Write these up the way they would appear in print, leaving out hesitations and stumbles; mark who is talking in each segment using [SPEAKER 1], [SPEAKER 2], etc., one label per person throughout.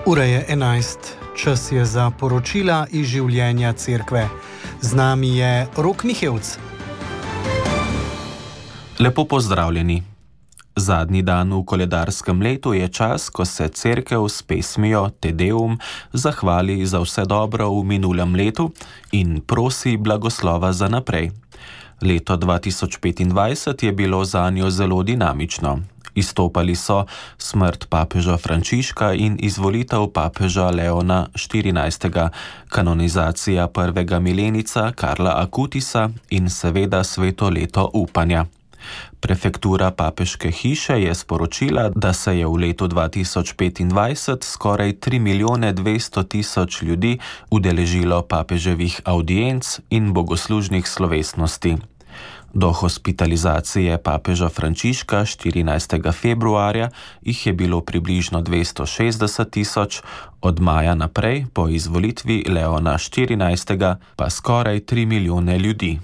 [SPEAKER 1] Ura je 11. Čas je za poročila iz življenja cerkve. Z nami je Rok Mihevc.
[SPEAKER 2] Lepo pozdravljeni. Zadnji dan v koledarskem letu je čas, ko se cerkev s pesmijo Te Deum zahvali za vse dobro v minulem letu in prosi blagoslova za naprej. Leto 2025 je bilo zanjo zelo dinamično. Izstopali so smrt papeža Frančiška in izvolitev papeža Leona XIV., kanonizacija prvega milenica Karla Akutisa in seveda sveto leto upanja. Prefektura papeške hiše je sporočila, da se je v letu 2025 skoraj 3.200.000 ljudi udeležilo papeževih audienc in bogoslužnih slovesnosti. Do hospitalizacije papeža Frančiška 14. februarja jih je bilo približno 260.000, od maja naprej po izvolitvi Leona XIV. Pa skoraj 3 milijone ljudi.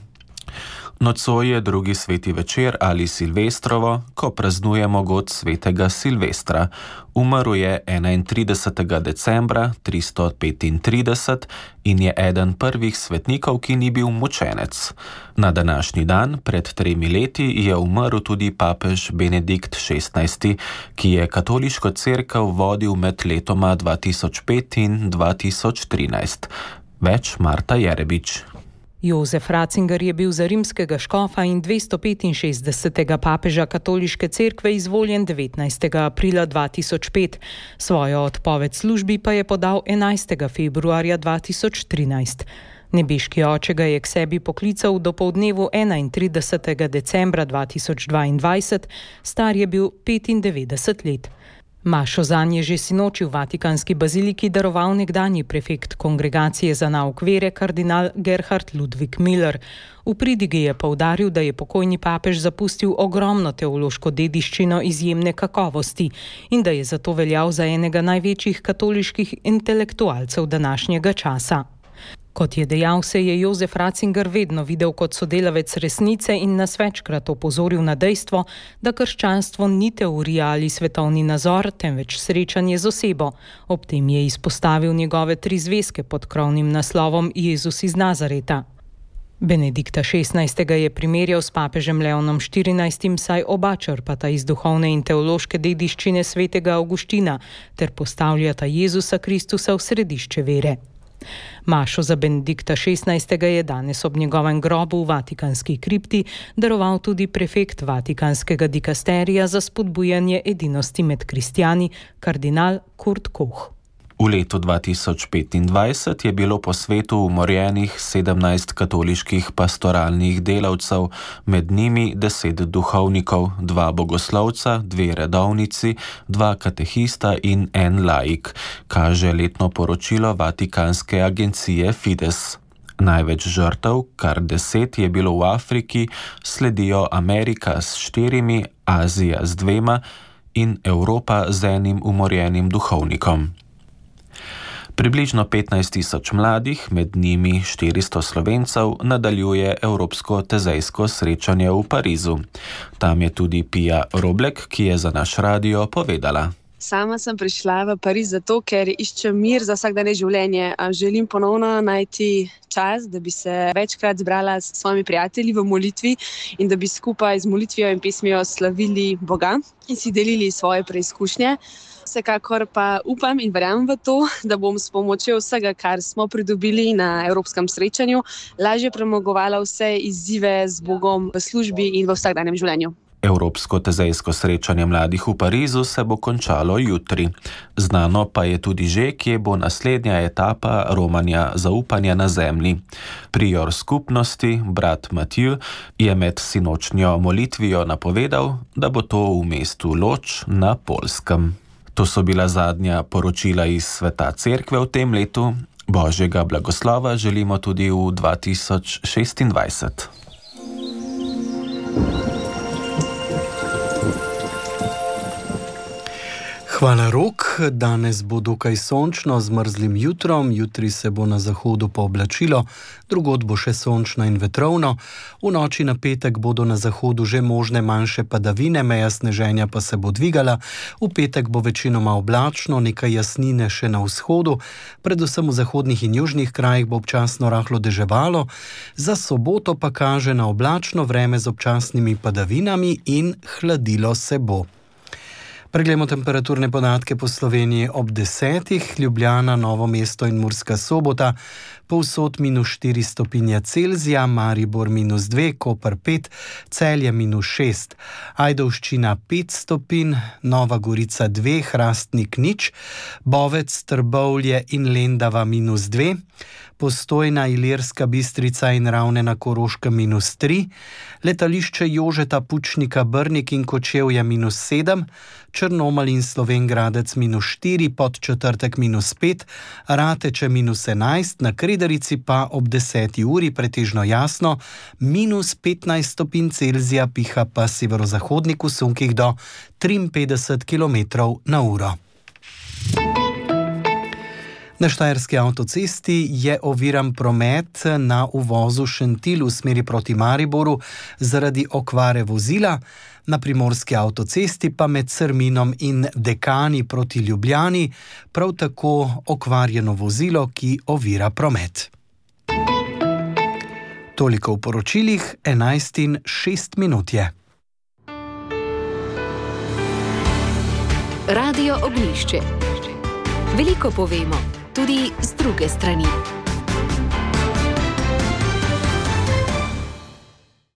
[SPEAKER 2] Nocoj je drugi sveti večer ali Silvestrovo, ko praznujemo god svetega Silvestra. Umrl je 31. decembra 335 in je eden prvih svetnikov, ki ni bil mučenec. Na današnji dan, pred 3 leti, je umrl tudi papež Benedikt XVI., ki je katoliško cerkev vodil med letoma 2005 in 2013. Več Marta Jerebič.
[SPEAKER 3] Jozef Ratzinger je bil za rimskega škofa in 265. papeža katoliške cerkve izvoljen 19. aprila 2005. Svojo odpoved službi pa je podal 11. februarja 2013. Nebeški oče ga je k sebi poklical do poldnevu 31. decembra 2022, star je bil 95 let. Mašo zanj je že sinoči v Vatikanski baziliki daroval nekdanji prefekt Kongregacije za nauk vere kardinal Gerhard Ludwig Müller. V pridigi je poudaril, da je pokojni papež zapustil ogromno teološko dediščino izjemne kakovosti in da je zato veljal za enega največjih katoliških intelektualcev današnjega časa. Kot je dejal, se je Jozef Ratzinger vedno videl kot sodelavec resnice in nas večkrat opozoril na dejstvo, da krščanstvo ni teorija ali svetovni nazor, temveč srečanje z osebo. Ob tem je izpostavil njegove 3 zvezke pod krovnim naslovom Jezus iz Nazareta. Benedikta XVI. Je primerjal s papežem Leonom XIV., saj oba črpata iz duhovne in teološke dediščine svetega Avguština ter postavljata Jezusa Kristusa v središče vere. Mašo za Benedikta XVI. Je danes ob njegovem grobu v Vatikanski kripti daroval tudi prefekt Vatikanskega dikasterija za spodbujanje edinosti med kristjani, kardinal Kurt Koch.
[SPEAKER 2] V letu 2025 je bilo po svetu umorjenih 17 katoliških pastoralnih delavcev, med njimi 10 duhovnikov, 2 bogoslovca, 2 redovnici, 2 katehista in 1 laik, kaže letno poročilo Vatikanske agencije Fides. Največ žrtev, kar 10, je bilo v Afriki, sledijo Amerika s 4, Azija z 2 in Evropa z 1 umorjenim duhovnikom. Približno 15.000 mladih, med njimi 400 Slovencev, nadaljuje Evropsko tezejsko srečanje v Parizu. Tam je tudi Pija Roblek, ki je za naš radio povedala.
[SPEAKER 4] Sama sem prišla v Pariz zato, ker iščem mir za vsakdanje življenje. Želim ponovno najti čas, da bi se večkrat zbrala s svojimi prijatelji v molitvi in da bi skupaj z molitvijo in pesmijo slavili Boga in si delili svoje preizkušnje. Vsekakor pa upam in verjamem v to, da bom s pomočjo vsega, kar smo pridobili na evropskem srečanju, lažje premagovala vse izzive z Bogom v službi in v vsakdanjem življenju.
[SPEAKER 2] Evropsko tezejsko srečanje mladih v Parizu se bo končalo jutri. Znano pa je tudi že, kje bo naslednja etapa romanja zaupanja na zemlji. Prior skupnosti, brat Matiju, je med sinočnjo molitvijo napovedal, da bo to v mestu Loč na Poljskem. To so bila zadnja poročila iz sveta cerkve v tem letu. Božjega blagoslova želimo tudi v 2026.
[SPEAKER 1] Hvala, Rok. Danes bo dokaj sončno z mrzlim jutrom, jutri se bo na zahodu pooblačilo, drugod bo še sončno in vetrovno. V noči na petek bodo na zahodu že možne manjše padavine, meja sneženja pa se bo dvigala. V petek bo večinoma oblačno, nekaj jasnine še na vzhodu, predvsem v zahodnih in južnih krajih bo občasno rahlo deževalo. Za soboto pa kaže na oblačno vreme z občasnimi padavinami in hladilo se bo. Preglejmo temperaturne podatke po Sloveniji ob 10. Ljubljana, Novo mesto in Murska Sobota, povsod -4 stopinje Celzija, Maribor -2, Koper 5, Celje -6, Ajdovščina 5 stopinj, Nova Gorica 2, Hrastnik 0, Bovec, Trbovlje in Lendava -2, Postojna, Ilirska Bistrica in Ravne na Koroškem -3, letališče Jožeta Pučnika Brnik in Kočevje -7, Črnomelj in Slovenj Gradec -4, Podčetrtek -5, Rateče -11, na Kredarici pa ob 10. uri pretežno jasno, -15 stopinj Celzija, piha pa severozahodnik v sunkih do 53 km/h. Na Štajerski avtocesti je oviran promet na uvozu Šentilj v smeri proti Mariboru zaradi okvare vozila, na Primorski avtocesti pa med Crminom in Dekani proti Ljubljani prav tako okvarjeno vozilo, ki ovira promet. Toliko v poročilih, 11:06 je.
[SPEAKER 5] Radio Oglišče. Veliko povemo, tudi z druge strani.